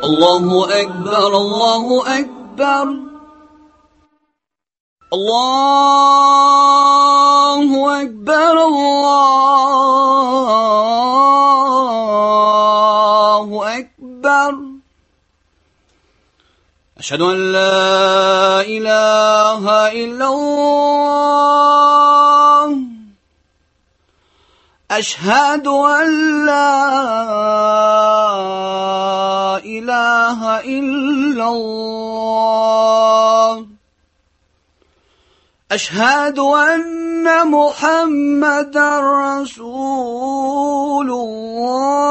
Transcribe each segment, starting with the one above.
الله أكبر الله أكبر الله أكبر الله أكبر أشهد أن لا إله إلا الله أشهد أن لا إله إلا الله أشهد أن محمدا رسول الله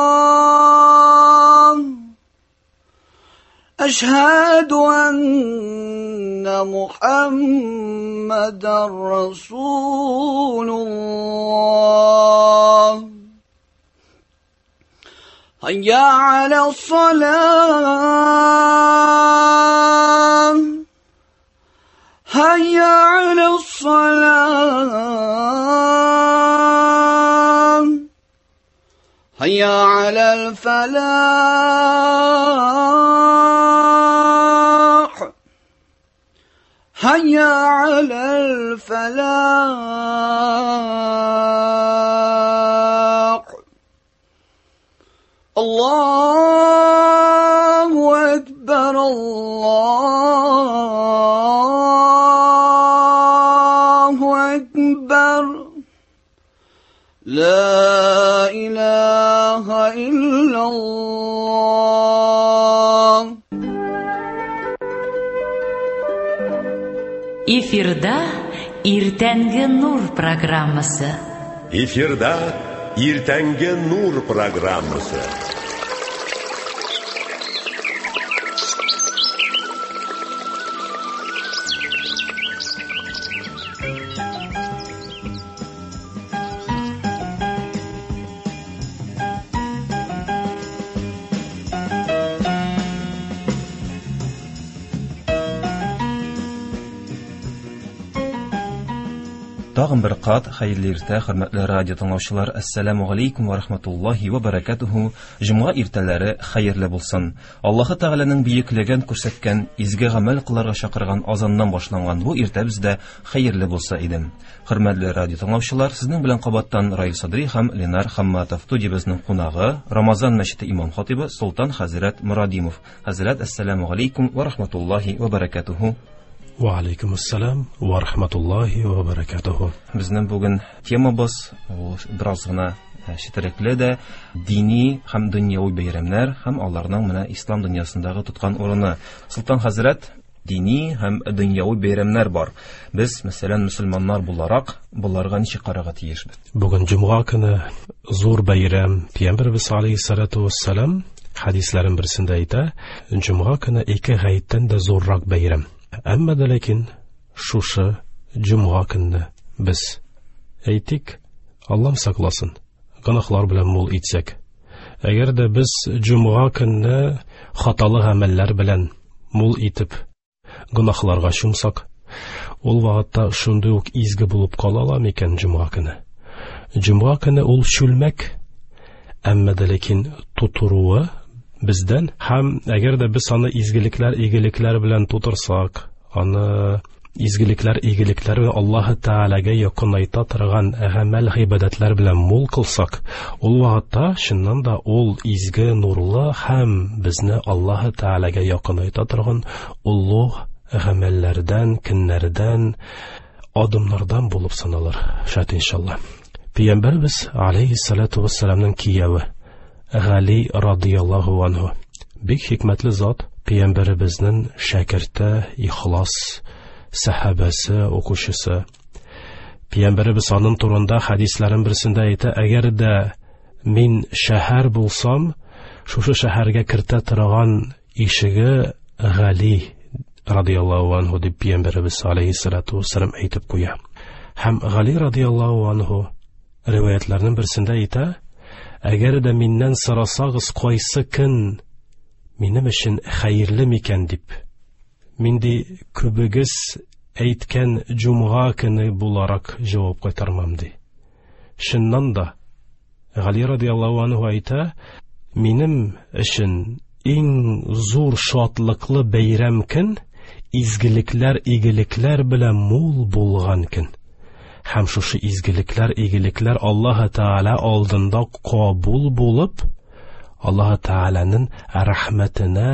أشهد أن محمدا رسول الله هيا على الصلاة هيا على الصلاة هيا على الفلاح هيا على الفلاح الله أكبر الله أكبر لا إله إلا الله. Эфирда Иртәнге нур программасы. Эфирда Иртәнге нур программасы. Тагын бер кат хәерле иртә, хөрмәтле радио тыңлаучылар. Ассаламу алейкум ва рахматуллахи ва баракатуху. Җомга иртәләре хәерле булсын. Аллаһы Тәгаләнең бөеклеген күрсәткән, изге гамәл кылырга чакырган азаннан башланган бу иртә бездә хәерле булса иде. Хөрмәтле радио тыңлаучылар, сезнең белән кабаттан Раил Садри һәм Ленар Хамматов. Студиябезнең кунагы Рамазан мәчете имам хатибы Солтан хәзрәт Мурадимов. Хәзрәт, ассаламу алейкум ва рахматуллахи ва баракатуху. Ва алейкум ассалам ва рахматуллахи ва баракатуху. Безнең бүген темабыз ул бераз гына четерекле дә, дини һәм дөньяви бәйрәмнәр һәм аларның менә ислам дөньясындагы тоткан урыны. Солтан хәзрәт, дини һәм дөньяви бәйрәмнәр бар. Без, мәсәлән, мөселманнар буларак, боларга ничек карарга тиешбез? Бүген җомга көне зур бәйрәм. Пәйгамбәрбез алейһиссалату вассалам хәдисләрен берсендә әйтә, җомга көне ике гаеттән дә зуррак бәйрәм. Әмма дә ләкин шушы җомга көнне без әйтик, Аллам сакласын, гөнаһлар белән мул итсәк. Әгәр дә без җомга көнне хаталы гамәлләр белән мул итеп гөнаһларга чумсак, ул вакытта шундый ук изге булып кала ала микән җомга көне? Җомга көне ул чүлмәк, әмма дә ләкин тутыруы бездән, һәм әгәр дә без аны изгелекләр, игелекләр белән тутырсак, аны изгелекләр, игелекләр белән Аллаһы Тәгаләгә якынайта торган гамәл, гыйбадәтләр белән мул кылсак, ул вакытта чыннан да ул изге, нурлы һәм безне Аллаһы Тәгаләгә якынайта торган олуг гамәлләрдән, көннәрдән, адымнардан булып саналыр. Шат иншалла. Пәйгамбәрбез алейһиссалату вассаламның кияве Гали радияллаһу анһу. Бик хикмәтле зат, пәйгамбәребезнең шәкерте, ихлас сәхабәсе, укучысы. Пәйгамбәребез аның турында хәдисләрен берсендә әйтә, әгәр дә мин шәһәр булсам, шушы шәһәргә кертә торган ишеге Гали радияллаһу анһу дип пәйгамбәребез алейһиссалату вассалам әйтеп куя. Һәм Гали радияллаһу анһу риваятларның берсендә әйтә, әгәр дә миннән сорасагыз, кайсы көн минем өчен хәерле микән дип, мин ди күбегез әйткән җомга көне буларак җавап кайтармам ди. Чыннан да Гали радияллаһу анһу әйтә, минем өчен Иң зур шатлыклы бәйрәм көн, изгелекләр, игелекләр белән мул булган көн. Һәм шушы изгелекләр, игелекләр Аллаһы Тәгалә алдында кабул булып, Аллаһы Тәгаләнең рәхмәтенә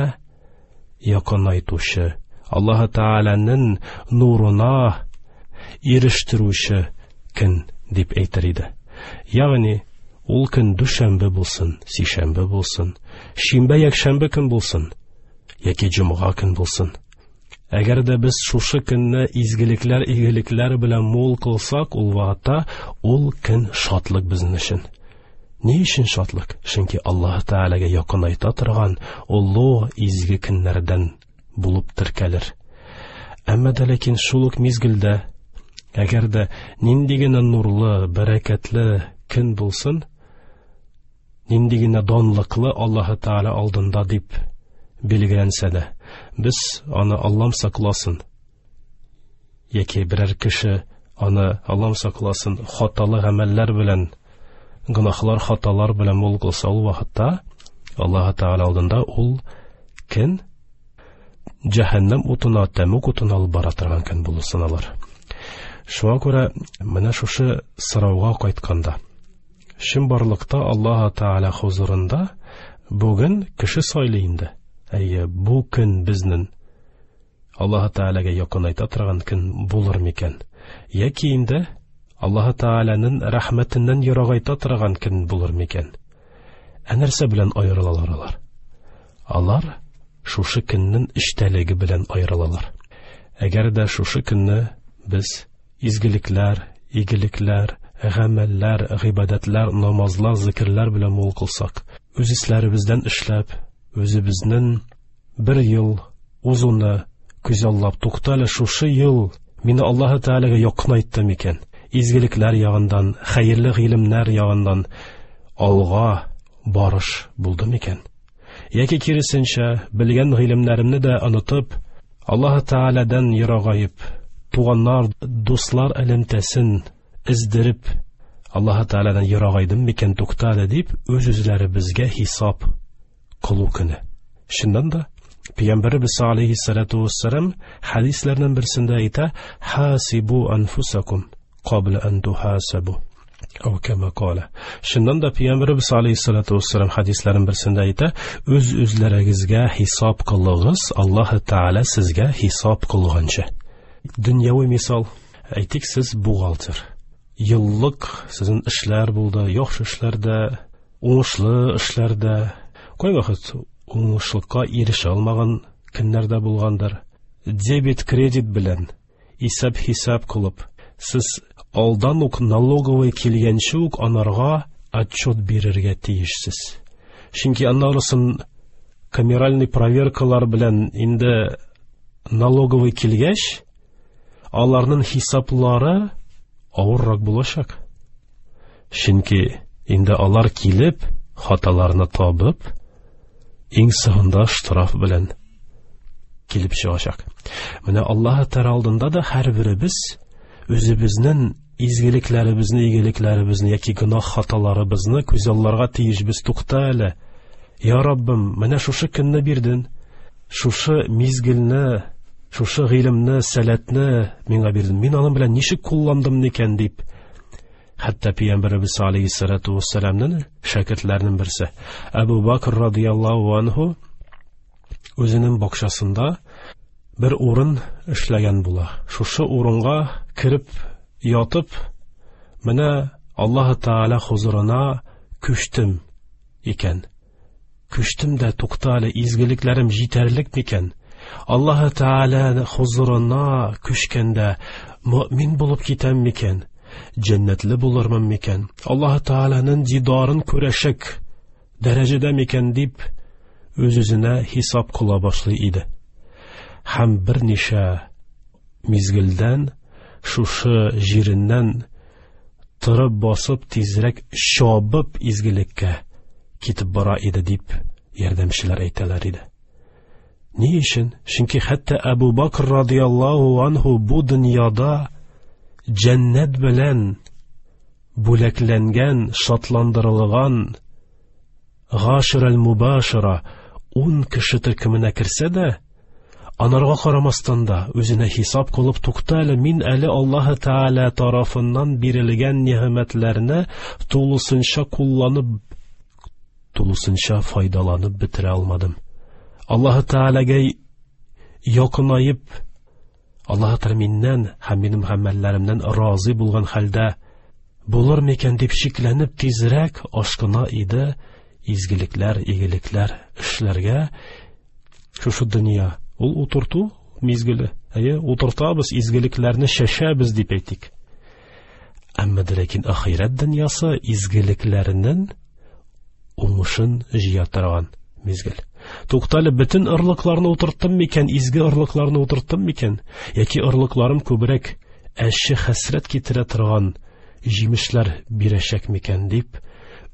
якынайтучы, Аллаһы Тәгаләнең нурына ирештерүче көн дип әйтер иде. Ягъни, ул көн дүшәмбе булсын, сишәмбе булсын, шимбә, якшәмбе көн булсын, яки җомга көн булсын. Әгәр дә без шушы көнне изгелекләр, игелекләр белән мул кылсак, ул вакытта ул көн шатлык безнең өчен. Ни өчен шатлык? Чөнки Аллаһ Тәгаләгә якынайта торган олы изге көннәрдән булып теркәлер. Әмма дә ләкин шул ук мизгелдә, әгәр дә нинди генә нурлы, бәрәкәтле көн булсын, нинди генә данлыклы Аллаһ Тәгалә алдында дип билгеләнсә дә, без аны Аллам сакласын, яки берәр кеше аны Аллам сакласын, хаталы гамәлләр белән, гөнаһлар, хаталар белән мул кылса, ул вакытта Аллаһ Тәгалә алдында ул көн җәһәннәм утына, тәмуг утына алып бара торган көн булып саналыр. Шуңа күрә менә шушы сорауга кайтканда, чынбарлыкта Аллаһ Тәгалә хузурында бүген кеше сайлый инде. Әйе, бу көн безнең Аллаһ Тәгаләгә якынайта торган көн булыр микән? Яки инде Аллаһ Тәгаләнең рәхмәтеннән ерагайта торган көн булыр микән? Ә нәрсә белән аерылалар алар? Алар шушы көннең эчтәлеге белән аерылалар. Әгәр дә шушы көнне без изгелекләр, игелекләр, гамәлләр, гыйбадәтләр, намазлар, зикерләр белән мул кылсак, үз эшләребездән эшләп, үзебезнең бер ел узуны күзаллап, туктале, шушы ел мине Аллаһы Тәгаләгә якынайтты микән? Изгелекләр ягыннан, хәерле гыйлемнәр ягыннан алга барыш булды микән? Яки киресенчә, белгән гыйлемнәремне дә онытып, Аллаһы Тәгаләдән ерагаеп, туганнар, дуслар элемтәсен эздереп, Аллаһы Тәгаләдән ерагайдым микән, туктале дип, үз-үзләребезгә хисап кылу көне. Чыннан да, Пәйгамбәребез алейһиссалату вассалам хәдисләрнең берсендә әйтә: "Хасибу анфусакум кабла ан тухасабу." Ау кама кала. Чыннан да Пәйгамбәребез алейһиссалату вассалам хәдисләрнең берсендә әйтә: "Үз-үзләрегезгә хисап кылыгыз, Аллаһ Тәгалә сезгә хисап кылганчы." Дөньяви мисал, әйтик, сез бухгалтер. Еллык сезнең эшләр булды, яхшы эшләрдә, уңышлы эшләрдә, кайвакыт уңышлыкка ирешә алмаган көннәрдә булгандыр. Дебет, кредит белән исәп-хисап кылып, сез алдан ук налоговый килгәнче үк анарга отчет бирергә тиешсез. Чөнки аннарысын камеральный проверкалар белән инде налоговый килгәч, аларның хисаплары авыррак булачак. Чөнки инде алар килеп, хаталарны табып, иң соңында штраф белән килеп чыгачак. Менә Аллаһ Тәгалә алдында да һәрберебез үзебезнең изгелекләребезне, игелекләребезне яки гөнаһ хаталарыбызны күзалларга тиешбез. Тукта әле, я Раббым, менә шушы көнне бирдең, шушы мизгелне, шушы гыйлемне, сәләтне миңа бирдең. Мин аның белән ничек кулландым икән дип. Хәтта Пәйгамбәребез алейһиссалату вассаламның шәкертләренең берсе Әбу Бакр радияллаһу анһу үзенең бакчасында бер урын эшләгән була. Шушы урынга кереп ятып, менә Аллаһ Тәгалә хузурына күчтем икән. Күчтем дә, туктале, изгелекләрем җитәрлек микән? Аллаһ Тәгалә хузурына күчкәндә мөмин булып китәм микән? Җәннәтле булырмын микән? Аллаһ Тәгаләнең дидарын күрәчәк дәрәҗәдә микән дип үз-үзенә хисап кыла башлый иде. Һәм берничә мизгелдән шушы җиреннән торып басып тизрәк чабып изгелеккә китеп бара иде дип ярдәмчеләр әйтәләр иде. Ни өчен? Чөнки хәтта Әбу Бакр радияллаһу анһу бу дөньяда җәннәт белән бүләкләнгән, шатландырылган гаширал мубашира 10 кеше төркеменә керсә дә, анарга карамастан да үзенә хисап кылып, тукта әле, мин әле Аллаһы Тәгалә тарафыннан бирелгән нигъмәтләрне тулысынча кулланып, тулысынча файдаланып бетерә алмадым. Аллаһы Тәгаләгә якынаеп, Аллаһы Тәгалә миннән һәм минем гамәлләремнән разый булган хәлдә булыр микән дип шикләнеп тизрәк ашкына иде изгелекләр, игелекләр эшләргә. Шушы дөнья ул утырту мизгеле. Әйе, утыртабыз, изгелекләрне шәшәбез дип әйтик. Әмма дә ләкин ахирәт дөньясы изгелекләренең уңышын җыя торган мизгел. Туктале, бөтен орлыкларны утырттым микән, изге орлыкларны утырттым микән, яки орлыкларым күбрәк әче хәсрәт китерә торган җимешләр бирәчәк микән дип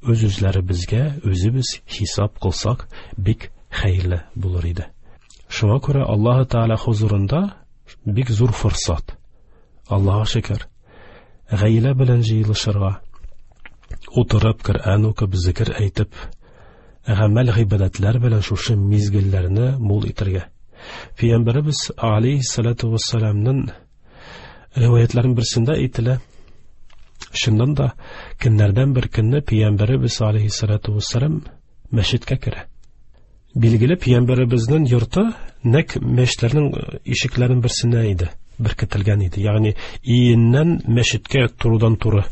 үз-үзләребезгә үзебез хисап кылсак, бик хәерле булыр иде. Шуңа күрә Аллаһы Тәгалә хузурында бик зур форсат. Аллаһка шөкер, гаилә белән җыелышырга, утырып Коръән укып, зикер әйтеп, гамәл гыйбадәтләр белән шушы мизгелләрне мул итәргә. Пәйгамбәребез алейһиссалату вассаламның риваятларының берсендә әйтелә, чыннан да көннәрдән бер көнне Пәйгамбәребез алейһиссалату вассалам мәчеткә керә. Билгеле, Пәйгамбәребезнең йорты нәкъ мәчетләрнең ишекләренең берсенә иде, беркетелгән иде. Ягъни иеннән мәчеткә турыдан-туры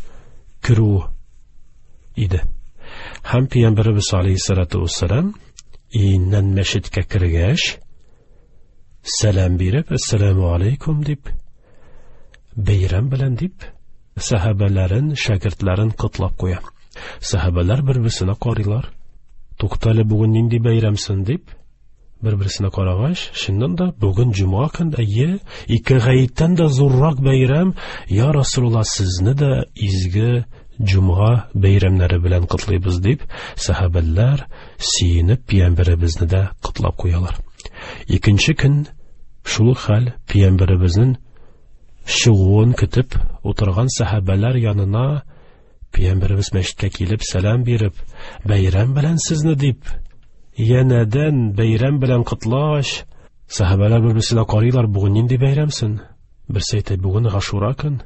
керү иде. Һәм Пәйгамбәребез алейһиссалату вассалам иеннән мәчеткә кергәч, сәлам биреп, әссәламу алейкум дип, бәйрәм белән дип, сәхабәләрен, шәкертләрен котлап куя. Сәхабәләр бер-берсенә карыйлар. Туктале, бүген нинди бәйрәмсен дип, бер-берсенә карагач, чыннан да бүген җомга көн, әйе, ике гаеттән дә зуррак бәйрәм, я Расулулла, сезне дә изге җомга бәйрәмнәре белән котлыйбыз дип, сәхабәләр сөенеп пәйгамбәребезне дә котлап куялар. Икенче көн шул ук хәл, пәйгамбәребезнең чыгуын көтеп утырган сәхабәләр янына Пәйгамбәребез мәчеткә килеп сәлам биреп, бәйрәм белән сезне дип, янәдән бәйрәм белән котлагач, сәхабәләр бер-берсенә карыйлар, бүген нинди бәйрәмсен? Берсе әйтә, бүген Гашура көн.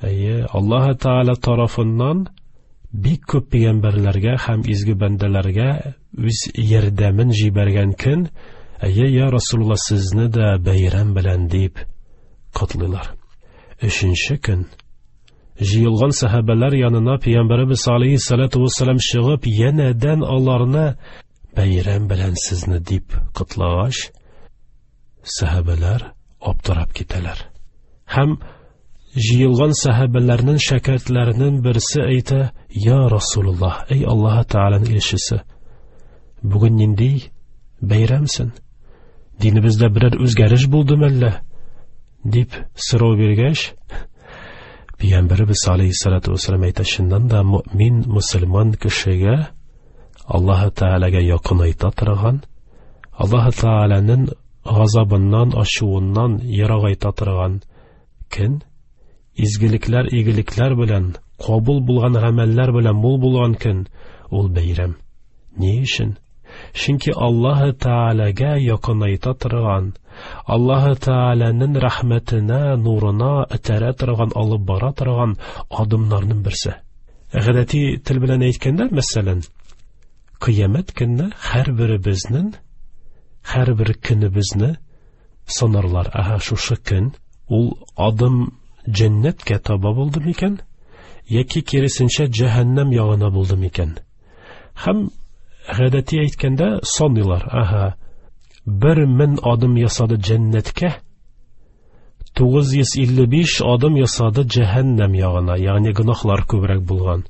Әйе, Аллаһ Тәгалә тарафыннан бик күп пәйгамбәрләргә һәм изге бәндәләргә үз ярдәмен җибәргән көн. Әйе, я Расулулла, сезне дә бәйрәм белән дип котлыйлар. Өченче көн җыелган сәхабәләр янына Пәйгамбәребез алейһиссалату вассалам чыгып, янәдән аларны бәйрәм белән сезне дип котлагач, сәхабәләр аптырап китәләр. Һәм җыелган сәхабәләрнең шәкертләренең берсе әйтә: "Я Расулуллаһ, эй Аллаһ Тәгаләнең илчесе, бүген нинди бәйрәмсен? Динебездә берәр үзгәреш булды мәллә?" дип сорау биргәч, Пәйгамбәребез алейһиссалату вассалам әйтә, чыннан да мөмин мөселман кешегә Аллаһ Тәгаләгә якынайта торган, Аллаһ Тәгаләнең газабыннан, ачуыннан ерагайта торган көн, изгелекләр, игелекләр белән, кабул булган гамәлләр белән мул булган көн, ул бәйрәм. Ни өчен? Чөнки Аллаһ Тәгаләгә якынайта торган, Аллаһ Тәгаләнең рәхмәтенә, нурына этәрә торган, алып бара торган адымнарның берсе. Гадәти тел белән әйткәндә, мәсәлән, кыямәт көнне һәрберебезнең һәрбер көнебезне санарлар. Аһа, шушы көн ул адым җәннәткә таба булды микән, яки киресенчә җәһәннәм ягына булды микән? Һәм гадәти әйткәндә саныйлар. Аһа, 1000 адым ясады җәннәткә, 955 адым ясады җәһәннәм ягына, ягъни гөнаһлар күбрәк булган.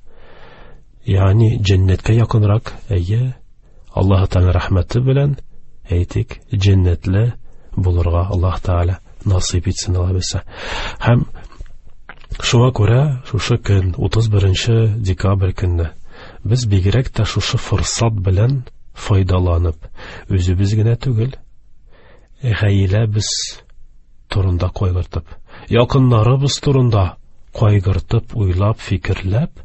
Ягъни җәннәткә якынрак, әйе, Аллаһ Тәгалә рәхмәте белән әйтик, җәннәтле булырга Аллаһ Тәгалә насыйп итсен алабызса. Һәм шуңа күрә шушы көн 31 декабрь көнне без бигрәк тә шушы форсат белән файдаланып, үзебез генә түгел, гаиләбез турында кайгыртып, якыннарыбыз турында кайгыртып, уйлап, фикерләп,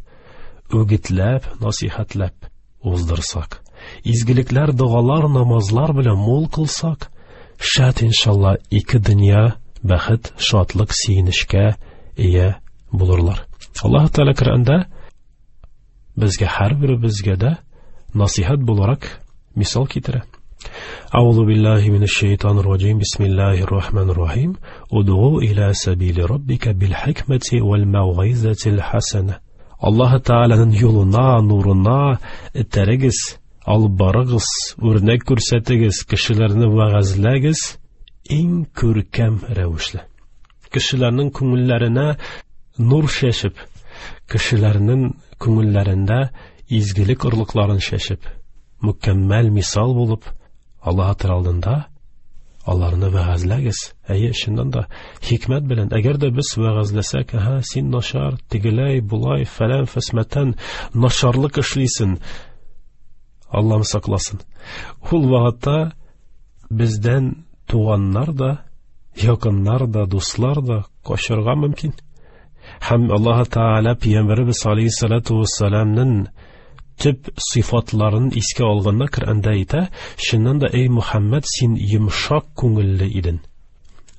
үгетләп, насихәтләп уздырсак. Изгелекләр, догалар, намазлар белән мул кылсак, шәт иншалла ике дөнья бәхет, шатлык, сөенечкә ия булырлар. Аллаһ Тәгалә Коръәндә безгә һәрберебезгә дә насыйхат буларак мисал китерә. أعوذ بالله من الشيطان الرجيم بسم الله الرحمن الرحيم ادعو إلى سبيل ربك بالحكمة والموعظة الحسنة. Аллаһ Тәгаләнең юлына, нурына этәрегез, алып барыгыз, үрнәк күрсәтегез, кешеләрне вәгазьләгез иң күркәм рәвешле. Кешеләрнең күңелләренә нур чәчеп, кешеләрнең күңелләрендә изгелек орлыкларын чәчеп, мөкәммәл мисал булып, Аллаһ Тәгалә алдында аларны вәгазьләгез. Әйе, чыннан да хикмәт белән. Әгәр дә без вәгазьләсәк, аһа, син начар, тегеләй, болай, фәлән, фәсмәтән, начарлык эшлисен. Аллам сакласын. Ул вакытта бездән туганнар да, якыннар да, дуслар да качарга мөмкин. Һәм Аллаһ Тәгалә Пәйгамбәребез алейһиссалату вассаламның төп сыйфатларын искә алганда Коръәндә әйтә, чыннан да, эй Мухаммад, син йомшак күңелле идең.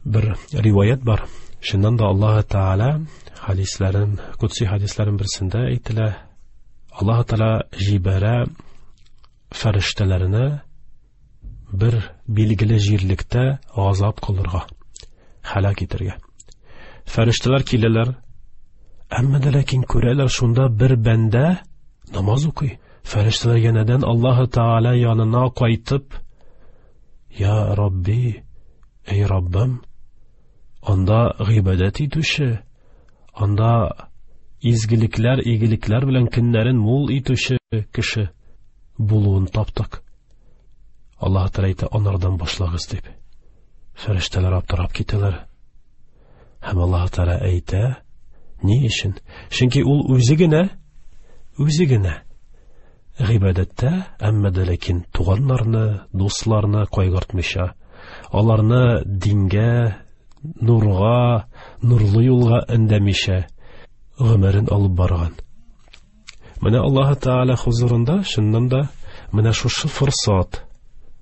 Бер риваять бар. Чыннан да Аллаһ Тәгалә хадисләрен, кудси хадисләрен берсендә әйтелә, Аллаһ Тәгалә җибәрә фәрештәләренә бер билгеле җирлектә газап кылырга, һәлак итәргә. Фәрештәләр киләләр, әмма дә ләкин күрәләр шунда бер бәндә намаз укый. Фәрештәләр янәдән Аллаһ Тәгалә янына кайтып, Я Рабби, эй Раббым, анда гыйбадәт итүче, анда изгелекләр, игелекләр белән көннәрен мул итүче кеше булуын таптык. Аллаһ Тәгалә әйтә, анардан башлагыз дип. Фәрештәләр аптырап китәләр. Һәм Аллаһ Тәгалә әйтә, ни өчен? Чөнки ул үзе генә, үзе генә гыйбадәттә, әмма дә ләкин туганнарны, дусларны кайгыртмыйча, аларны дингә, нурга, нурлы юлга эндәмичә гомерен алып барган. Менә Аллаһ Тәгалә хузурында чыннан да менә шушы форсат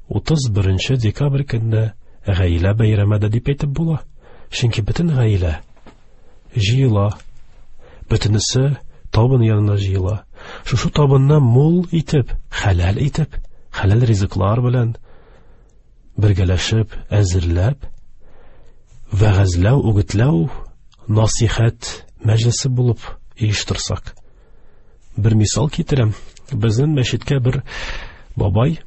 31 декабрь көнне гаилә бәйрәме дә дип әйтеп була. Чөнки бөтен гаилә җыела, бөтенесе табын янына җыела. Шушы табынны мул итеп, хәләл итеп, хәләл ризыклар белән бергәләшеп, әзерләп, вәгазьләү, үгетләү, насихәт мәҗлесе булып оештырсак. Бер мисал китерәм. Безнең мәчеткә бер бабай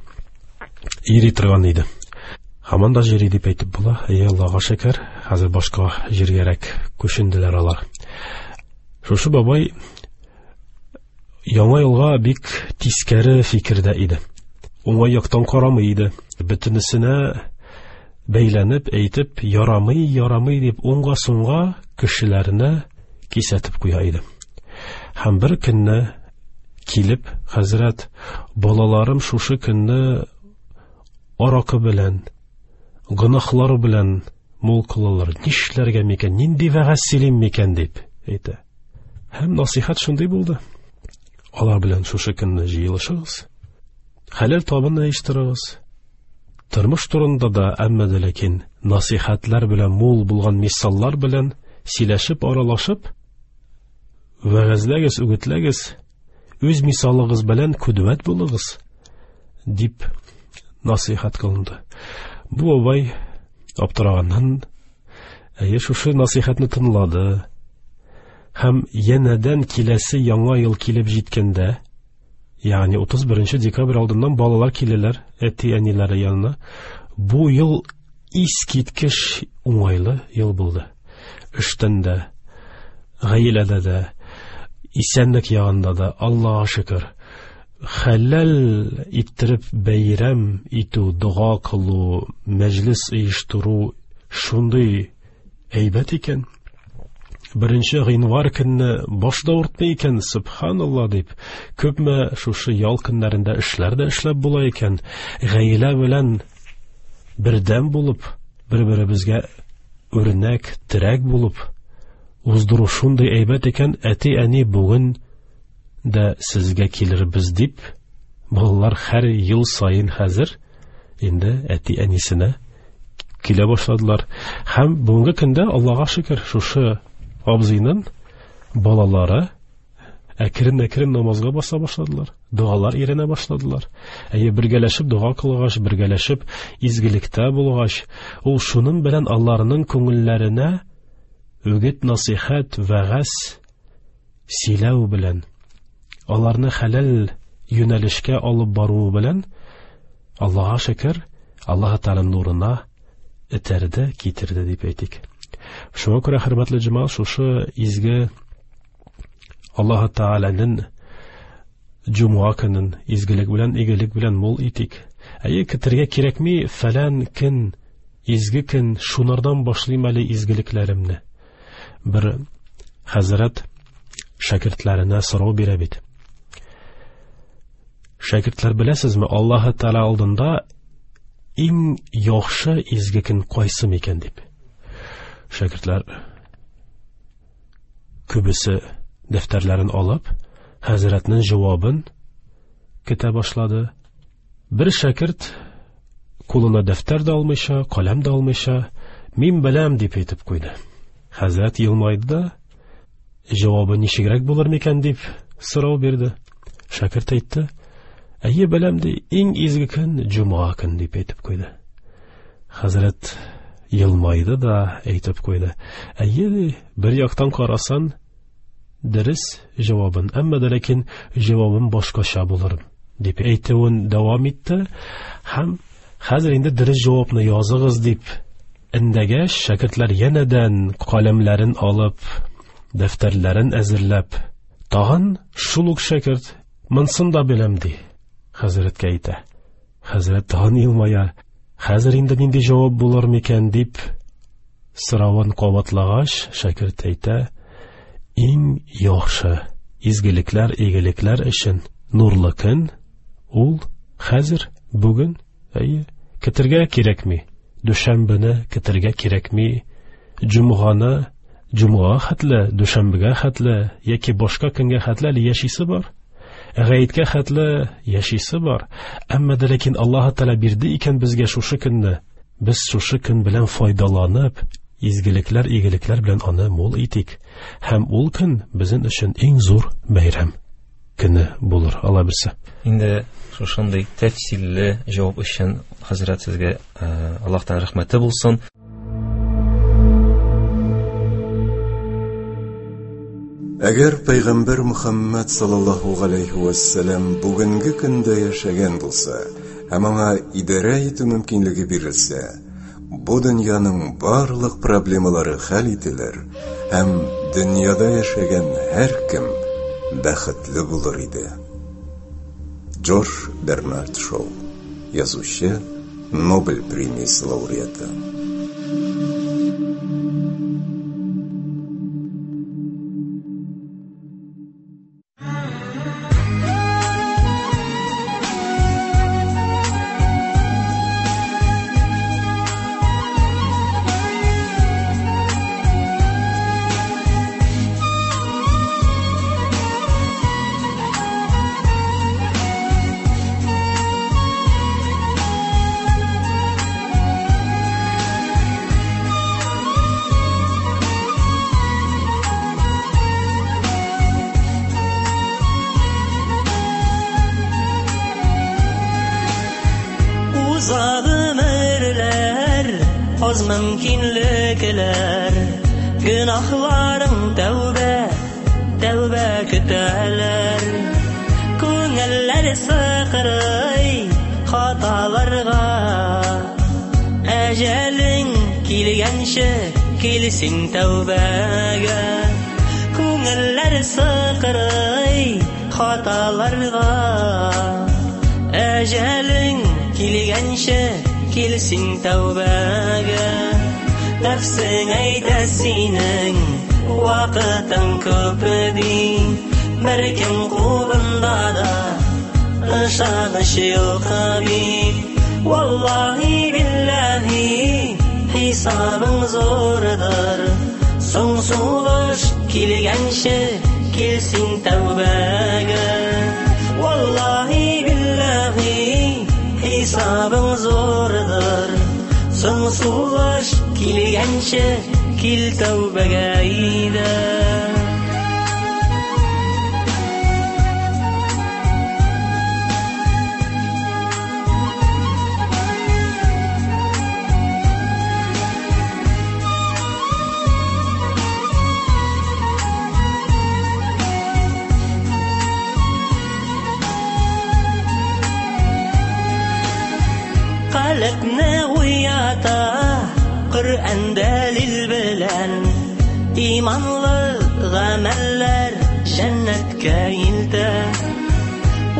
йөри торган иде. Һаман да йөри дип әйтеп була. Әй, Аллага шөкер, хәзер башка җиргәрәк күченделәр алар. Шушы бабай яңа елга бик тискәре фикердә иде. Уңай яктан карамый иде. Бөтенесенә бәйләнеп, әйтеп, ярамый, ярамый дип уңга-сунга кешеләрне кисәтеп куя иде. Һәм бер көнне килеп, хәзрәт, балаларым шушы көнне аракы белән, гөнаһлар белән мул кылалар. Нишләргә микән, нинди вәгазь сөйлим микән дип әйтә. Һәм насыйхат шундый булды. Алар белән шушы көнне җыелышыгыз, хәләл табын оештырыгыз. Тормыш турында да, әмма дә ләкин насыйхатлар белән мул булган мисаллар белән сөйләшеп, аралашып, вәгазьләгез, үгетләгез, үз мисалыгыз белән күдвәт булыгыз, дип насыйхат кылынды. Бу бабай аптыраганнан, әйе, шушы насыйхатны тыңлады. Һәм янәдән киләсе яңа ел килеп җиткәндә, ягъни 31 декабрь алдыннан балалар киләләр әти-әниләре янына. Бу ел искиткеч уңайлы ел булды. Эштән дә, гаиләдә дә, исәнлек ягында да, Аллаһка шөкер, хәләл иттереп бәйрәм итү, дога кылу, мәҗлес оештыру шундый әйбәт икән. 1 гыйнвар көнне баш да авыртмый икән, субханалла дип, күпме шушы ял көннәрендә эшләр дә эшләп була икән. Гаилә белән бердәм булып, бер-беребезгә үрнәк, терәк булып уздыру шундый әйбәт икән. Әти-әни бүген дә сезгә килербез дип Балалар һәр ел саен хәзер инде әти-әнисенә килә башладылар. Һәм бүгенге көндә Аллага шөкер, шушы абзыйның балалары әкрен-әкрен намазга баса башладылар, догалар өйрәнә башладылар. Әйе, бергәләшеп дога кылгач, бергәләшеп изгелектә булгач, ул шуның белән аларның күңелләренә үгет, насихәт, вәгазь сөйләү белән, аларны хәләл юнәлешкә алып баруы белән, Аллаһка шөкер, Аллаһ Тәгаләнең нурына этәрде, китерде дип әйтик. Шуңа күрә, хөрмәтле җәмәгать, шушы изге Аллаһ Тәгаләнең җомга көнен изгелек белән, игелек белән мул итик. Әйе, көтергә кирәкми, фәлән көн, изге көн, шунардан башлыйм әле изгелекләремне. Бер хәзрәт шәкертләренә сорау бирә бит. Шәкертләр, беләсезме, Аллаһ Тәгалә алдында иң яхшы изге көн кайсы микән дип. Шәкертләр күбесе дәфтәрләрен алып, хәзрәтнең җавабын көтә башлады. Бер шәкерт кулына дәфтәр дә алмыйча, каләм дә алмыйча, мин беләм дип әйтеп куйды. Хәзрәт елмайды да, җавабы ничегрәк булыр микән дип сорау бирде. Шәкерт әйтте, әйе беләм ди, иң изге көн җомга көн дип әйтеп куйды. Хәзрәт елмайды да әйтеп куйды. Әйе ди, бер яктан карасан, дөрес җавабын, әмма дә ләкин җавабым башкача булыр дип әйтүен дәвам итте һәм хәзер инде дөрес җавапны языгыз дип эндәгәч, шәкертләр янәдән каләмләрен алып, дәфтәрләрен әзерләп, тагын шул ук шәкерт монсын да беләм ди, хәзрәткә әйтә. Хәзрәт тагын елмая. Хәзер инде нинди җавап булыр микән дип соравын кабатлагач, шәкерт әйтә, иң яхшы изгелекләр, игелекләр өчен нурлы көн ул хәзер, бүген, әйе, көтергә кирәкми. Дүшәмбене көтергә кирәкми, җомганы, җомга хәтле, дүшәмбегә хәтле яки башка көнгә хәтле әле яшисе бар. Гаеткә хәтле яшисе бар. Әмма дә ләкин Аллаһ Тәгалә бирде икән безгә шушы көнне, без шушы көн белән файдаланып, изгелекләр, игелекләр белән аны мул итик. Һәм ул көн безнең өчен иң зур бәйрәм көне булыр, Алла бирсә. Инде шушындый тәфсилле җавап өчен хәзрәт сезгә Аллаһтан рәхмәте булсын. Әгәр Пәйгамбәр Мөхәммәд саллаллаһу галәйһи вә сәлам бүгенге көндә яшәгән булса һәм аңа идарә итү мөмкинлеге бирелсә, бу дөньяның барлык проблемалары хәл ителер һәм дөньяда яшәгән һәркем бәхетле булыр иде. Джордж Бернард Шоу, язучы, Нобель премиясе лауреаты. Уза гомерләр, аз мөмкинлекләр, гөнаһларың тәүбә, тәүбә көтәләр. Күңелләр сыкрый хаталарга, әҗәлең килгәнче килсин тәүбәгә. Күңелләр сыкрый хаталарга, әҗәлең килгәнче килсин тәүбәгә. Нәфсең әйтә синең вакытың күп ди, беркем кулында да ышаныч юк бит. Валлаһи билләһи хисабың зурдыр, соң сулыш килгәнче килсин тәүбәгә. Валлаһи билләһи Соң сулыш килгәнче кил тәүбәгә әйдә. Калебне уята Коръән дәлил белән, иманлы гамәлләр җәннәткә илтә.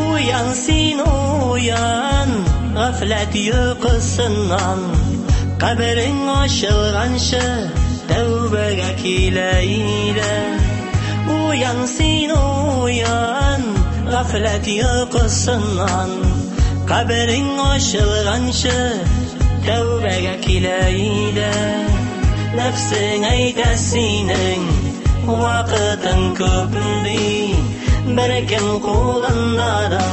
Уян син, уян, гафләт йокысыннан, каберең ачылганчы тәүбәгә кил әйдә. Уян син, уян, гафләт йокысыннан, каберең ачылганчы тәүбәгә кил әйдә. Нәфсең әйтә синең вакытың күп ди, беркем кулында да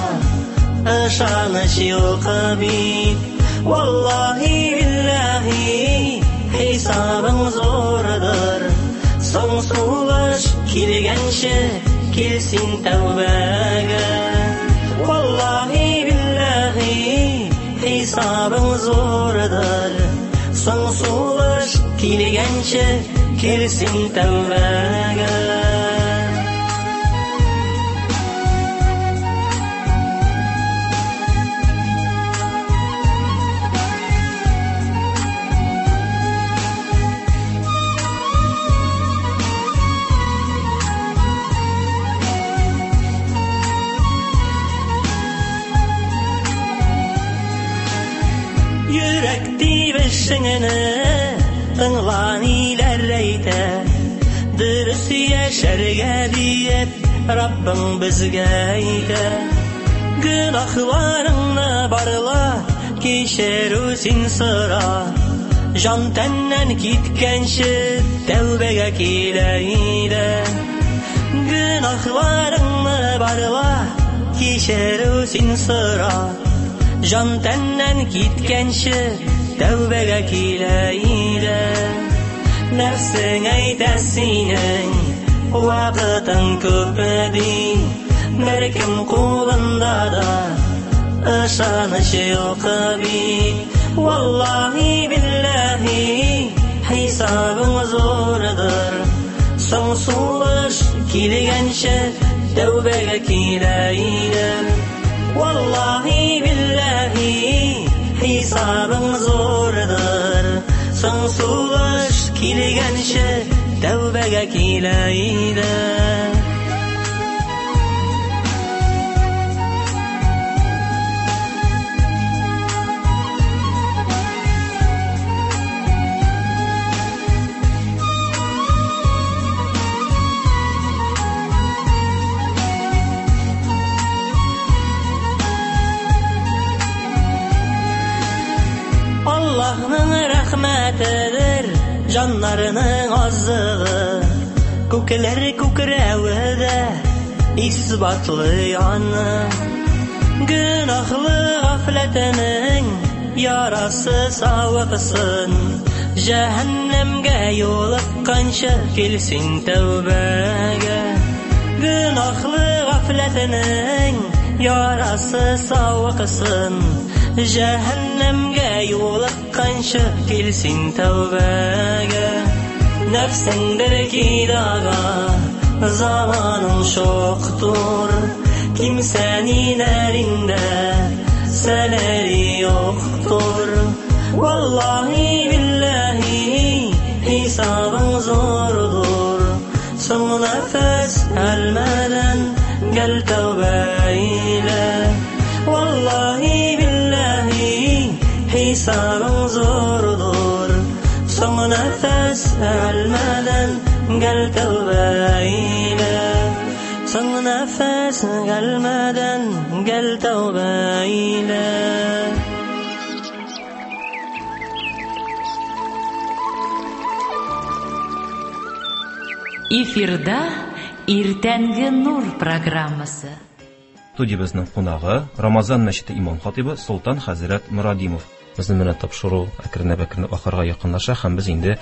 ышаныч юк бит. Валлаһи билләһи хисабың зурдыр, соң сулыш килгәнче кил син тәүбәгә. Валлаһи билләһи хисабың зурдыр, соң сулыш килгәнче кил син тәүбәгә. Йөрәк тибешеңне тыңла ниләр әйтә, дөрес яшәргә диеп Раббың безгә әйтә. Гөнаһларыңны барла, кичерү син сора, җан тәннән киткәнче тәүбәгә кил әйдә. Гөнаһларыңны барла, кичерү син сора, җан тәннән киткәнче тәүбәгә кил әйдә. Нәфсең әйтә синең вакытың күп ди, беркем кулында да ышаныч юк бит. Валлаһи билләһи хисабың зурдыр, соң сулыш килгәнче тәүбәгә кил әйдә. Валлаһи билләһи хисабың зурдыр, соң сулыш килгәнче тәүбәгә кил әйдә. Аллаһның рәхмәтедер җаннарының азыгы, күкләр күкрәве дә исбатлый аны. Гөнаһлы гафләтенең ярасы савыксын, җәһәннәмгә юлыкканчы кил син тәүбәгә. Гөнаһлы гафләтенең ярасы савыксын, җәһәннәмгә юлыкканчы кил син тәүбәгә. Нәфсеңдер кидага заманың чоктыр, kimsenin elinde seneri yoktur. Vallahi billahi hesabın zordur, son nefes elmeden gel tövbe eyle. Vallahi billahi hesabın zordur, son nefes elmeden gel tövbe eyle. Son nefes gelmeden gel tövbe eyle. Эфирда Иртәнге Нур программасы. Студиябезнең кунагы Рамазан мәчете имам хатибы Солтан хәзрәт Мурадимов. Безнең менә тапшыру әкренләп-әкренләп ахырга якынлаша һәм без инде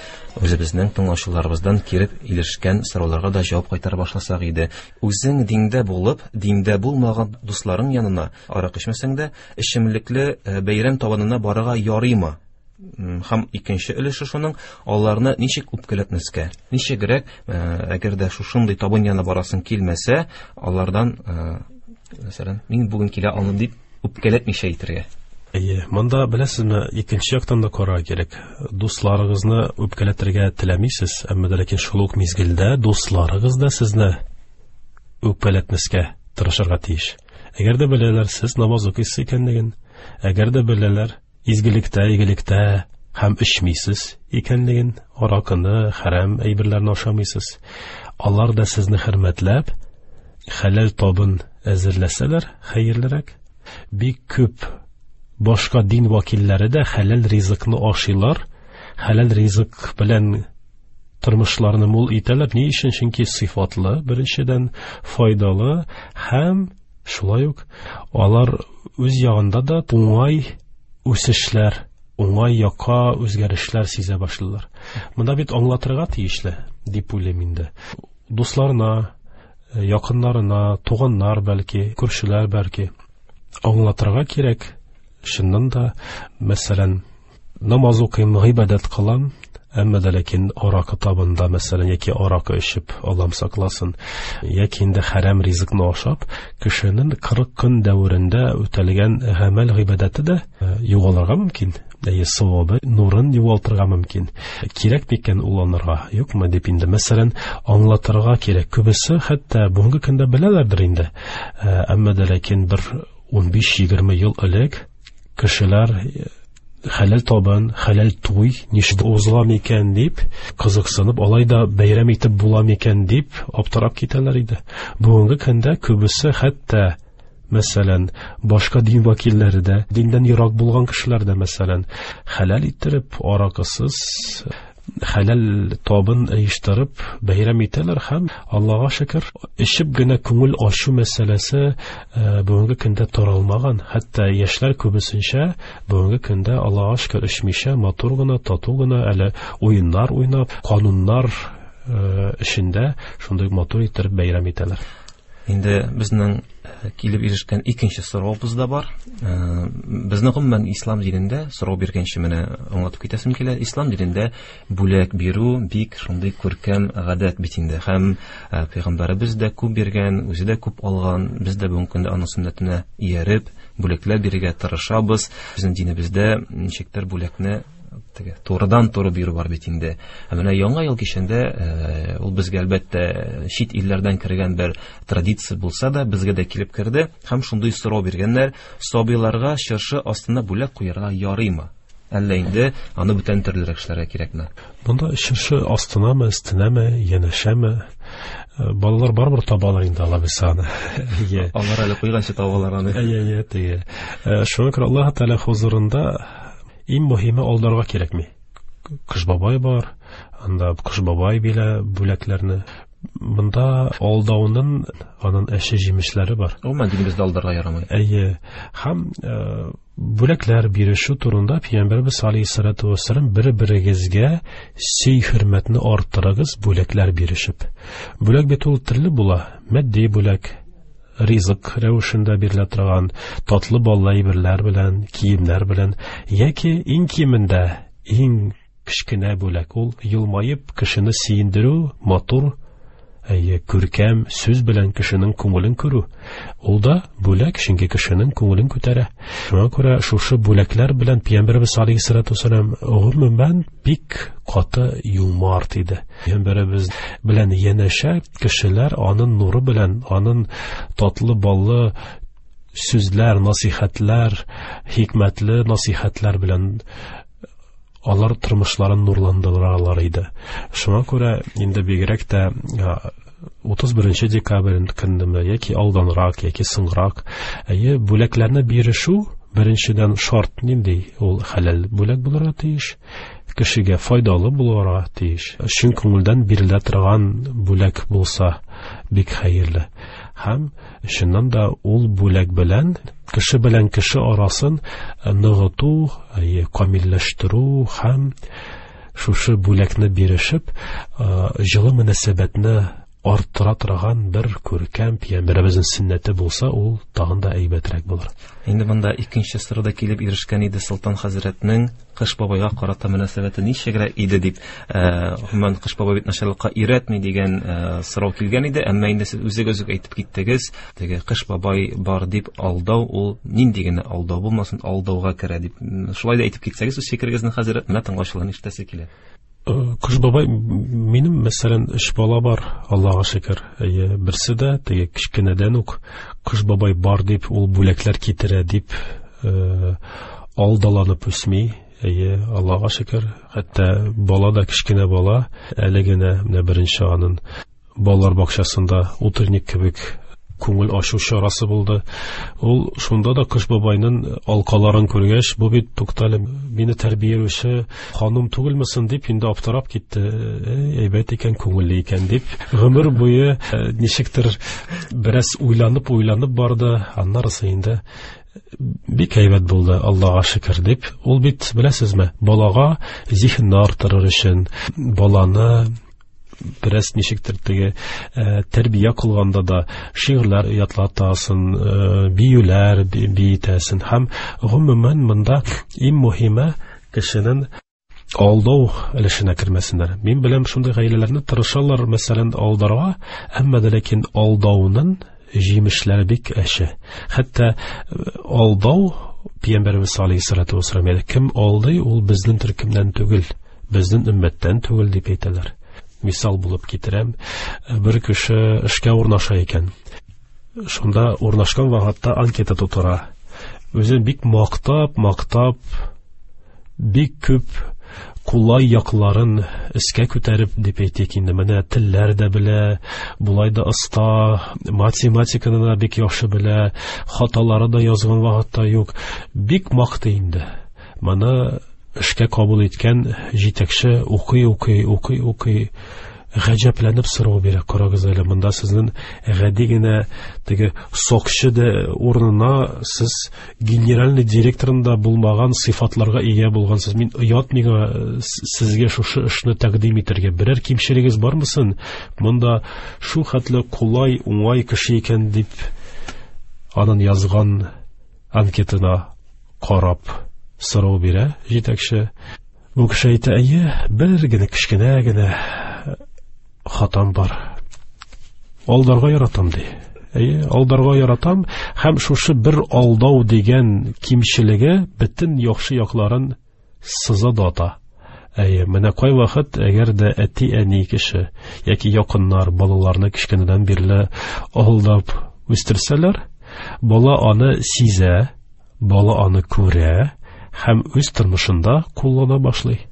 үзебезнең тыңлаучыларыбыздан килеп ирешкән сорауларга да җавап кайтара башласак иде. Үзең диндә булып, диндә булмаган дусларың янына аракы эчмәсәң дә, эчемлекле бәйрәм табынына барырга ярыймы? Һәм икенче өлеше шуның, аларны ничек үпкәләтмәскә? Ничегрәк, әгәр дә шушындый табын янына барасың килмәсә, алардан, мәсәлән, мин бүген килә алмыйм дип үпкәләтмичә әйтергә. Әйе, монда беләсезме, икенче яктан да карарга кирәк. Дусларыгызны үпкәләтергә теләмисез, әмма дә ләкин шул ук мизгелдә дусларыгыз да сезне үпкәләтмәскә тырышырга тиеш. Әгәр дә беләләр, сез намаз укыйсыз икәнлеген, әгәр дә беләләр, изгелектә, игелектә һәм эчмисез икәнлеген, аракыны, хәрам әйберләрне ашамыйсыз, алар да сезне хөрмәтләп, хәләл табын әзерләсәләр, хәерлерәк. Бик күп башка дин вәкилләре дә хәләл ризыкны ашыйлар, хәләл ризык белән тормышларны мул итәләр. Ни өчен? Чөнки сыйфатлы, беренчедән, файдалы һәм шулай ук алар үз ягында да уңай үсешләр, уңай якка үзгәрешләр сизә башлыйлар. Монда бит аңлатырга тиешле, дип уйлыйм инде. Дусларына, якыннарына, туганнар бәлки, күршеләр бәлки аңлатырга кирәк. Чыннан да, мәсәлән, намаз укыйм, гыйбадәт кылам, әмма дә ләкин аракы табында, мәсәлән, яки аракы эчеп, Аллам сакласын, яки инде хәрам ризыкны ашап, кешенең 40 көн дәверендә үтәлгән гамәл гыйбадәте дә югалырга мөмкин. Әйе, савабы, нурын югалтырга мөмкин. Кирәк микән ул анарга, юкмы дип инде, мәсәлән, аңлатырга кирәк. Күбесе хәтта бүгенге көндә беләләрдер инде. Әмма дә ләкин бер 15-20 ел элек кешеләр хәләл табын, хәләл туй ничек узыла микән дип кызыксынып, алай да бәйрәм итеп була микән дип аптырап китәләр иде. Бүгенге көндә күбесе хәтта, мәсәлән, башка дин вәкилләре дә, диндән ерак булган кешеләр дә, мәсәлән, хәләл иттереп, аракысыз хәләл табын оештырып бәйрәм итәләр һәм Аллага шөкер, эчеп генә күңел ачу мәсьәләсе бүгенге көндә таралмаган. Хәтта яшьләр күбесенчә бүгенге көндә Аллага шөкер эчмичә, матур гына, тату гына әле уеннар уйнап, кануннар эчендә шундый матур иттереп бәйрәм итәләр. Инде безнең килеп ирешкән икенче соравыбыз да бар. Безнең гомумән ислам динендә сорау биргәнче менә аңлатып китәсем килә. Ислам динендә бүләк бирү бик шундый күркәм гадәт бит инде. Һәм пәйгамбәребез дә күп биргән, үзе дә күп алган. Без дә бүгенге көндә аның сөннәтенә ияреп бүләкләр бирергә тырышабыз. Безнең динебездә ничектер бүләкне теге турыдан-туры бирү бар бит инде. Ә менә Яңа ел кичендә ул безгә әлбәттә чит илләрдән кергән бер традиция булса да, безгә дә килеп керде һәм шундый сорау биргәннәр: сабыйларга чыршы астына бүләк куярга ярыймы? Әллә инде аны бүтән төрлерәк эшләргә кирәкме? Монда чыршы астынамы, өстенәме, янәшәме? Балалар барыбер табалар инде алабыз аны. Әйе. Алар әле куйганчы табалар аны. Әйе, әйе, теге. Шуңа күрә Аллаһ Тәгалә хузурында иң мөһиме алдарга кирәкми. Кыш бабай бар, анда Кыш бабай бирә бүләкләрне. Монда алдауның аның әче җимешләре бар. Гомумән динебездә алдарга ярамый. Әйе. Һәм бүләкләр бирешү турында Пәйгамбәребез алейһиссалату вассалам бер-берегезгә сый хөрмәтне арттырыгыз бүләкләр бирешеп. Бүләк бит ул төрле була. Матди бүләк, ризык рәвешендә бирелә торган татлы баллы әйберләр белән, киемнәр белән, яки иң кимендә иң кечкенә бүләк ул елмаеп кешене сөендерү, матур, әйе, күркәм сүз белән кешенең күңелен күрү. Ул да бүләк, чөнки кешенең күңелен күтәрә. Шуңа күрә шушы бүләкләр белән Пәйгамбәребез алейһиссалату вассалам гомумән бик каты юмарт иде. Пәйгамбәребез белән янәшә кешеләр аның нуры белән, аның татлы баллы сүзләр, насихәтләр, хикмәтле насихәтләр белән алар тормышларын нурландыралар иде. Шуңа күрә инде бигрәк тә 31 декабрь көннеме, яки алданрак, яки соңрак, әйе, бүләкләрне бирешү беренчедән шарт нинди? Ул хәләл бүләк булырга тиеш, кешегә файдалы булырга тиеш. Чын күңелдән бирелә торган бүләк булса бик хәерле. Һәм чыннан да ул бүләк белән кеше белән кеше арасын ныгыту, камилләштерү һәм шушы бүләкне бирешеп, җылы мөнәсәбәтне арттыра торган бер күркәм пәйгамбәребезнең сөннәте булса, ул тагын да әйбәтрәк булыр. Инде монда икенче сорау да килеп ирешкән иде Солтан хәзрәтнең Кыш бабайга карата мөнәсәбәте ничегрәк иде дип, гомумән Кыш бабай бит начарлыкка өйрәтми дигән сорау килгән иде, әмма инде сез үзегез үк әйтеп киттегез, теге Кыш бабай бар дип алдау ул нинди генә алдау булмасын, алдауга керә дип. Шулай да әйтеп китсәгез үз фикерегезне хәзрәт, менә тыңлаучыларның ишетәсе килә. Кыш бабай, минем, мәсәлән, өч бала бар, Аллага шөкер. Әйе, берсе дә теге кечкенәдән үк Кыш бабай бар дип, ул бүләкләр китерә дип, алдаланып үсми. Әйе, Аллага шөкер. Хәтта бала да кечкенә бала, әле генә менә беренче анын балалар бакчасында утренник кебек күңел ачу чарасы булды. Ул шунда да Кыш бабайның алкаларын күргәч, бу бит туктале, мине тәрбияләүче ханым түгелме соң дип инде аптырап китте. Әй, әйбәт икән, күңелле икән дип. Гомер буе ничектер бераз уйланып-уйланып барды. Аннарысы инде бик әйбәт булды, Аллага шөкер дип. Ул бит, беләсезме, балага зиһенне арттырыр өчен, баланы бераз ничектер теге тәрбия кылганда да шигырьләр ятлатасың, биюләр биетәсең һәм гомумән монда иң мөһиме кешенең алдау өлешенә кермәсеннәр. Мин беләм шундый гаиләләрне тырышалар, мәсәлән, алдарга, әмма дә ләкин алдауның җимешләре бик әче. Хәтта алдау Пәйгамбәребез алейһиссалату вассалам әйтә, кем алдый, ул безнең төркемнән түгел, безнең өммәттән түгел дип әйтәләр. Мисал булып китерәм, бер кеше эшкә урнаша икән. Шунда урнашкан вакытта анкета тутыра. Үзен бик мактап, мактап, бик күп кулай якларын өскә күтәреп дип әйтик инде, менә телләр дә белә, болай да оста, математиканы да бик яхшы белә, хаталары да язган вакытта юк, бик мактый инде. Моны эшкә кабул иткән җитәкче укый, укый, укый, укый, гаҗәпләнеп сорау бирә. Карагыз әле, монда сезнең гади генә теге сокчы да урынына сез генеральный директорында булмаган сыйфатларга ия булгансыз. Мин оят миңа сезгә шушы эшне тәкъдим итәргә. Берәр кимчелегез бармы соң? Монда шу хәтле кулай, уңай кеше икән дип анын язган анкетына карап сорау бирә җитәкче. Бу кеше әйтә, әйе, бер генә кечкенә генә хатам бар. Алдарга яратам, ди. Әйе, алдарга яратам һәм шушы бер алдау дигән кимчелеге бөтен яхшы якларын сыза да ата. Әйе, менә кайвакыт әгәр дә әти-әни кеше яки якыннар балаларны кечкенәдән бирле алдап үстерсәләр, бала аны сизә, бала аны күрә һәм үз тормышында куллана башлый.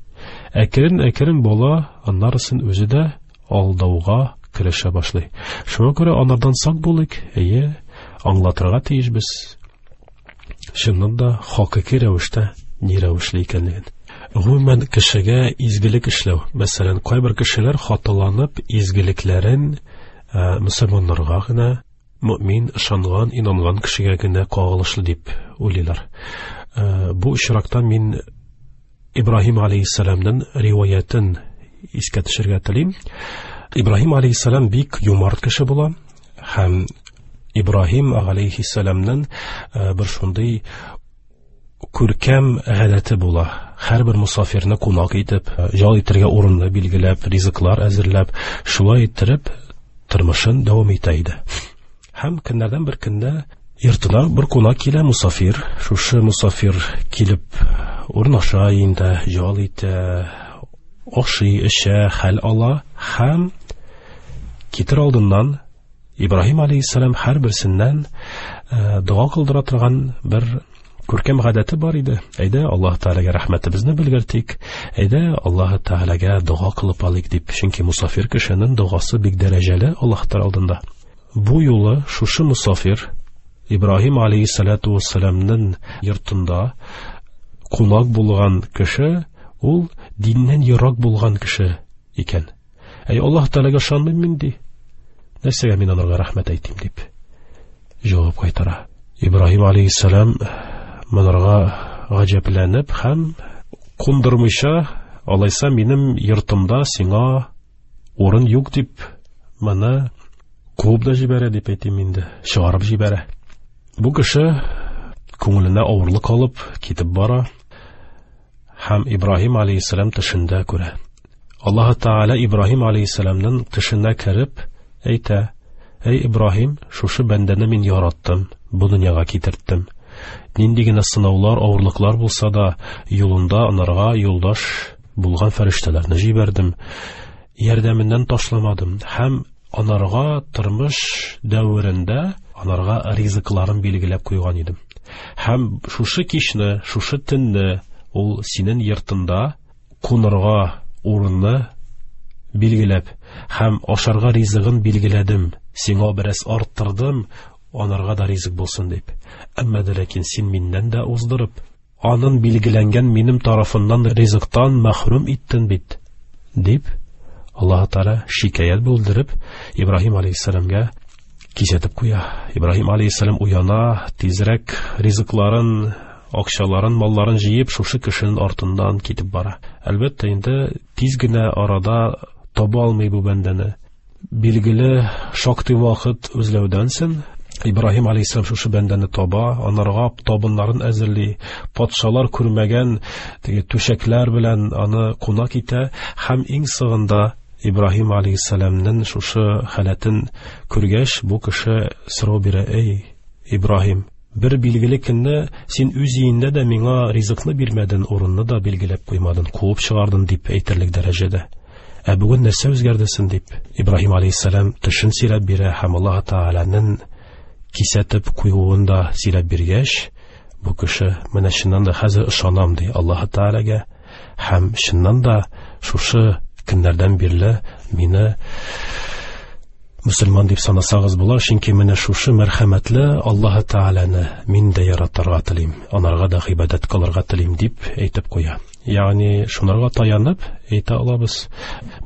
Әкрен-әкрен бала аннарысын үзе дә алдауга керешә башлый. Шуңа күрә анардан сак булыйк, әйе, аңлатырга тиешбез. Чыннан да хакыйкый рәвештә ни рәвешле икәнлеген. Гомумән, кешегә изгелек эшләү. Мәсәлән, кайбер кешеләр хаталанып изгелекләрен мөселманнарга гына, мөмин, ышанган, инанган кешегә генә кагылышлы дип уйлыйлар. Бу очракта мин Ибраһим алейһиссәламның риваятен искә төшерергә телим. Ибраһим алейһиссәлам бик юмарт кеше була һәм Ибраһим алейһиссәламның бер шундый күркәм гадәте була. Һәрбер мусафирны кунак итеп, ял итәргә урынны билгеләп, ризыклар әзерләп, шулай иттереп тормышын дәвам итә иде. Һәм көннәрдән бер көндә йортына бер кунак килә, мусафир. Шушы мусафир килеп урнаша инде, ял итә, ашый, эчә, хәл ала һәм китер алдыннан Ибраһим алейһиссәлам һәрберсеннән дога кылдыра торган бер күркәм гадәте бар иде. Әйдә, Аллаһ Тәгаләгә рәхмәтебезне белгертик. Әйдә, Аллаһ Тәгаләгә дога кылып алыйк дип. Чөнки мусафир кешенең догасы бик дәрәҗәле Аллаһ Тәгалә алдында. Бу юлы шушы мусафир Ибраһим алейһиссалату вассаламның йортында кунак булган кеше, ул диннән ерак булган кеше икән. Әй, Аллаһ Тәгаләгә ышанмыйм мин, ди. Нәрсәгә мин анарга рәхмәт әйтим дип җавап кайтара. Ибраһим алейхиссалам монарга гаҗәпләнеп һәм кундырмыйча, алайса минем йортымда сиңа урын юк дип моны куып да җибәрә дип әйтим инде, чыгарып җибәрә. Бу кеше күңеленә авырлык алып китеп бара һәм Ибраһим алейхиссалам төшендә күрә. Аллаһ Тааля Ибраһим алейхиссаламның төшенә кереп әйтә: "Әй Ибраһим, шушы бәндәне мин яраттым, бу дөньяга китерттем. Нинди генә сынаулар, авырлыклар булса да, юлында анарга юлдаш булган фәрештәләрне җибәрдем, ярдәменнән ташламадым һәм анарга тормыш дәверендә анарга ризыкларын билгеләп куйган идем. Һәм шушы кичне, шушы төнне ул синең йортында кунырга урынны билгеләп һәм ашарга ризыгын билгеләдем. Сиңа бераз арттырдым, анарга да ризык булсын дип. Әмма дә ләкин син миннән дә уздырып, анын билгеләнгән минем тарафыннан ризыктан мәхрүм иттең бит, дип Аллаһ Тааля шикаять булдырып Ибраһим алейхиссаламга кисәтеп куя. Ибраһим алейхиссалам уяна, тизрәк ризыкларын, акчаларын, малларын җыеп, шушы кешенең артыннан китеп бара. Әлбәттә, инде тиз генә арада таба алмый бу бәндәне. Билгеле, шактый вакыт үзләүдән соң Ибраһим алейхиссалам шушы бәндәне таба, анарга табыннарын әзерли, патшалар күрмәгән теге түшәкләр белән аны кунак итә һәм иң соңында Ибраһим алейхиссаламның шушы халәтен күргәч, бу кеше сорау бирә: "Эй, Ибраһим, бер билгеле көнне син үз өеңдә дә миңа ризыкны бирмәдең, урынны да билгеләп куймадың, куып чыгардың дип әйтерлек дәрәҗәдә. Ә бүген нәрсә үзгәрдесен?" дип Ибраһим алейхиссалам төшен сөйләп бирә һәм Аллаһ Тааляның кисәтеп куюын да сөйләп биргәч, бу кеше менә чыннан да хәзер ышанам ди Аллаһ Тааляга һәм чыннан да шушы көннәрдән бирле мине мөселман дип санасагыз була, чөнки менә шушы мәрхәмәтле Аллаһ Тааляны мин дә яратырга телим, анарга да гыйбадәт кылырга телим дип әйтеп куя. Ягъни шунарга таянып әйтә алабыз,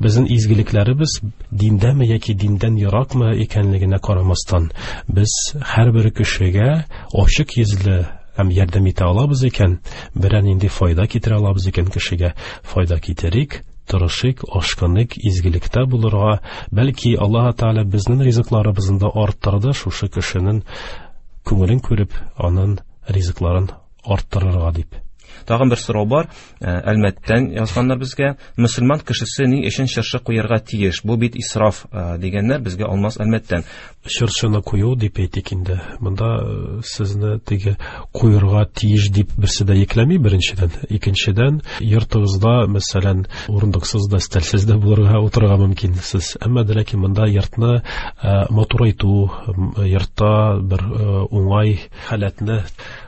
безнең изгелекләребез диндәме яки диндән еракмы икәнлегенә карамастан, без һәрбер кешегә ачык йөзле һәм ярдәм итә алабыз икән, берәр нинди файда китерә алабыз икән кешегә, файда китерик, тырышыйк, ашкыныйк, изгелектә булырга. Бәлки Аллаһ Тааля безнең ризыкларыбызны да арттырды, шушы кешенең күңелен күреп, аның ризыкларын арттырырга дип. Тагын бер сорау бар. Әлмәттән язганнар безгә. Мөселман кешесе ни өчен чыршы куярга тиеш? Бу бит исраф, дигәннәр безгә Алмаз Әлмәттән. Чыршыны кую дип әйтик инде. Монда сезне теге куярга тиеш дип берсе дә йөкләми беренчедән. Икенчедән, йортыгызда, мәсәлән, урындыксыз да, өстәлсез дә булырга, утырырга мөмкин сез. Әмма дә ләкин монда йортны матурайту, йортта бер уңай халәтне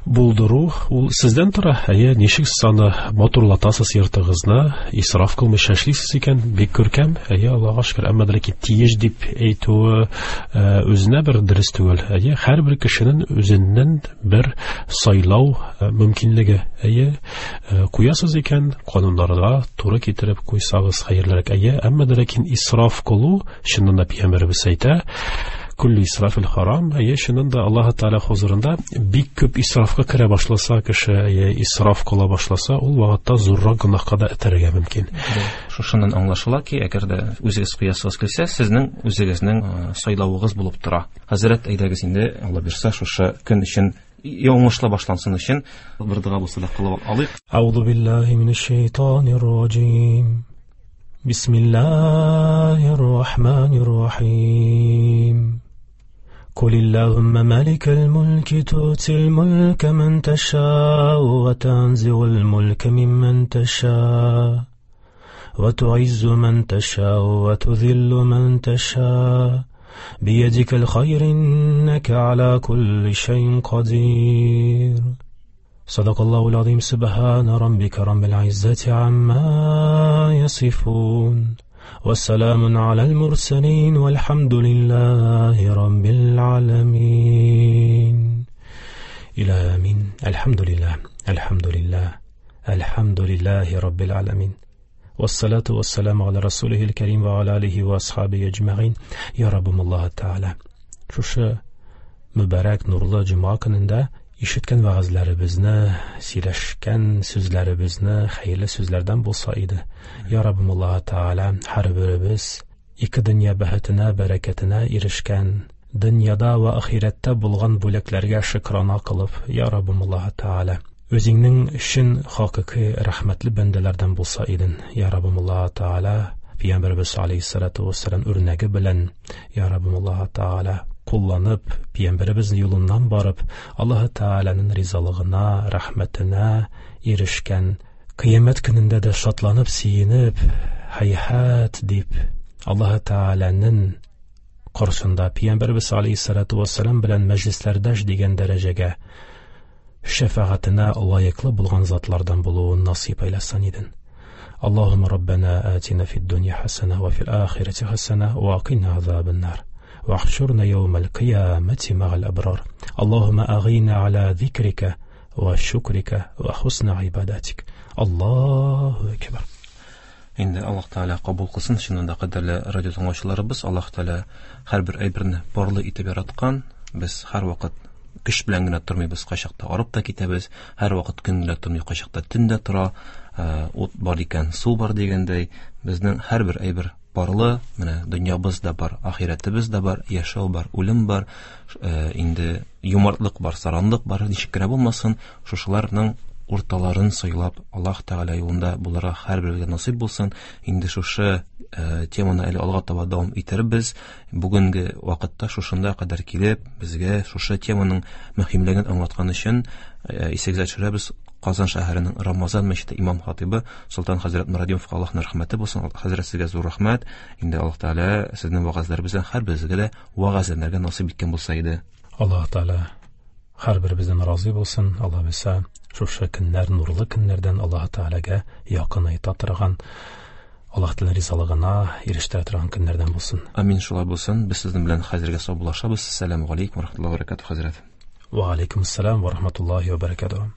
булдыру ул сездән тора. Әйе, ничек сез аны матурлатасыз йортыгызны, исраф кылмыйча эшлисез икән, бик күркәм. Әйе, Аллаһка шөкер. Әмма дә ләкин тиеш дип әйтүе үзенә бер дөрес түгел. Әйе, һәрбер кешенең үзеннән бер сайлау мөмкинлеге. Әйе, куясыз икән, кануннарга туры китереп куйсагыз хәерлерәк. Әйе, әмма дә ләкин исраф кылу, чыннан да пәйгамбәребез әйтә, Күлле исрафил харам. Әйе, чыннан да Аллаһ Тааля хузурында бик күп исрафка керә башласа кеше, әйе, исраф кыла башласа, ул вакытта зуррак гөнаһка да этәрергә мөмкин. Шушыннан аңлашыла ки, әгәр дә үзегез куясыгыз килсә, сезнең үзегезнең сайлавыгыз булып тора. Хәзрәт, әйдәгез инде, Алла бирсә, шушы көн өчен уңышлы башлансын өчен бер дога булса да кылып алыйк. Аузу биллаһи минәш шайтанир раҗим. Бисмиллаһир рахманир рахим. قل اللهم مالك الملك تؤتي الملك من تشاء وتنزع الملك ممن تشاء وتعز من تشاء وتذل من تشاء بيدك الخير إنك على كل شيء قدير. صدق الله العظيم. سبحان ربك رب العزة عما يصفون والسلام على المرسلين والحمد لله رب العالمين. إلى آمين. الحمد لله، الحمد لله، الحمد لله رب العالمين. Вассалату вассаламу аля расулихил карим ва аля алихи ва асхаби аҗмәгыйн. Я Раббым Аллаһ Тәгалә, шушы мөбарәк нурлы җомга көнендә ишеткән вәгазьләребезне, сөйләшкән сүзләребезне хәерле сүзләрдән булса иде. Я Раббым Аллаһ Тәгалә, һәрберебез ике дөнья бәхетенә, бәрәкәтенә ирешкән, дөньяда ва ахирәттә булган бүләкләргә шөкрана кылып, Я Раббым Аллаһ Тәгалә, үзеңнең чын хакыйкый рәхмәтле бәндәләрдән булса иден. Я Раббым Аллаһ Тәгалә, Пәйгамбәребез алейһиссалату вассалам үрнәге белән, Я Раббым Аллаһ Тәгалә, кулланып, Пәйгамбәребез юлыннан барып, Аллаһ Тәгаләнең ризалыгына, рәхмәтенә ирешкән, кыямәт көнендә дә шатланып, сөенеп, һәйһәт дип, Аллаһ Тәгаләнең каршында Пәйгамбәребез алейһиссалату вассалам белән мәҗлесләрдәш дигән дәрәҗәгә, шәфәгатенә лаеклы булган затлардан булуын насыйп әйләсен иден. Аллаһумма раббана атина фид дунья хасана ва фил ахирати хасана ва кина азабан нар. Вахшурна яумал кыямати магал абрар. Аллаһумма агина аля зикрика ва шукрика ва хусна ибадатик. Аллаһу акбар. Инде Аллаһ Тәгалә кабул кылсын, чыннан да кадерле радио тыңлаучыларыбыз, Аллаһ Тәгалә һәрбер әйберне парлы итеп яраткан. Без һәрвакыт көч белән генә тормыйбыз, кайчакта арып та китәбез, һәрвакыт көн генә тормый, кайчакта төн дә тора, ут бар икән, су бар дигәндәй, безнең һәрбер әйбер парлы, менә дөньябыз да бар, ахирәтебез дә бар, яшәү бар, үлем бар, инде юмартлык бар, саранлык бар, ничек кенә булмасын, шушыларның урталарын сайлап, Аллаһ Тәгалә юлында булырга һәрберебезгә насыйп булсын. Инде шушы теманы әле алга таба дәвам итербез. Бүгенге вакытта шушында кадәр килеп, безгә шушы теманың мөһимлеген аңлаткан өчен исегезгә төшерәбез. Казан шәһәренең Рамазан мәчете имам хатибы Солтан хәзрәт Мурадимовка Аллаһның рәхмәте булсын. Хәзрәт, сезгә зур рәхмәт. Инде Аллаһ Тәгалә сезнең вәгазьләребездән һәрберебезгә дә вәгазьләнергә насыйп иткән булса иде. Аллаһ Тәгалә һәрберебездән разый булсын. Аллаһ бирсә, шушы көннәр нурлы көннәрдән Аллаһ Тәгаләгә якынайта торган, Аллаһ Тәгалә ризалыгына ирештерә торган көннәрдән булсын. Амин, шулай булсын. Без сезнең белән хәзергә саубуллашабыз. Ассаламу алейкум ва рахматуллаһи ва баракатуһ, хәзрәт. Ва алейкум ассалам ва рахматуллаһи ва баракатуһ.